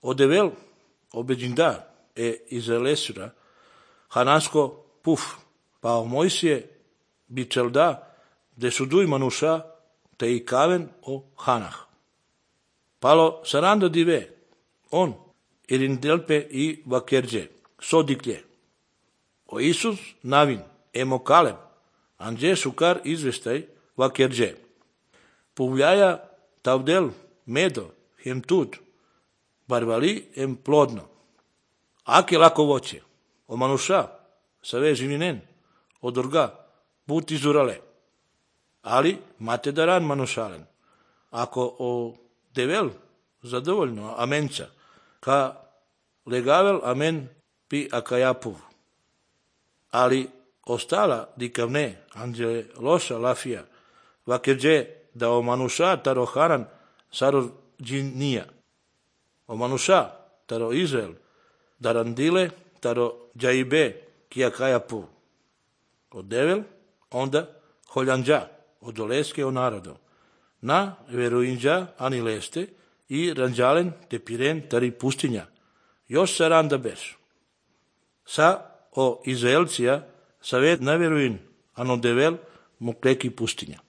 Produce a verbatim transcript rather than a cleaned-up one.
Odevel obeđinda e Izraelesura, hanasko puf, pa o Mojsije bičelda, de suduj manuša, te i kaven o hanah. Palo saranda dive, on, irindelpe i vakerđe, sodiklje. O Isus navin, emo kalem, anđe sukar izvestaj vakerđe. Puvljaja tavdel medo, hem tud, barvali em plodno. Ake lako voće, o manuša, save živinen, odorga, put izurale. Ali mate daran manušalen. Ako o devel zadovoljno amenca, ka legavel amen pi akajapuv. Ali ostala dikavne, anđele loša lafija, vakerđe da o manuša taro haran saror džinija. O manuša taro Izrael, darandile taro džaibe ki akajapuv. O devel onda holjanđa, od oleske o narodo. Na veruinđa ani leste i ranđalen te piren tari pustinja. Još sa randa beš. Sa o Izraelcija savet na veruin, ano devel mu kleki pustinja.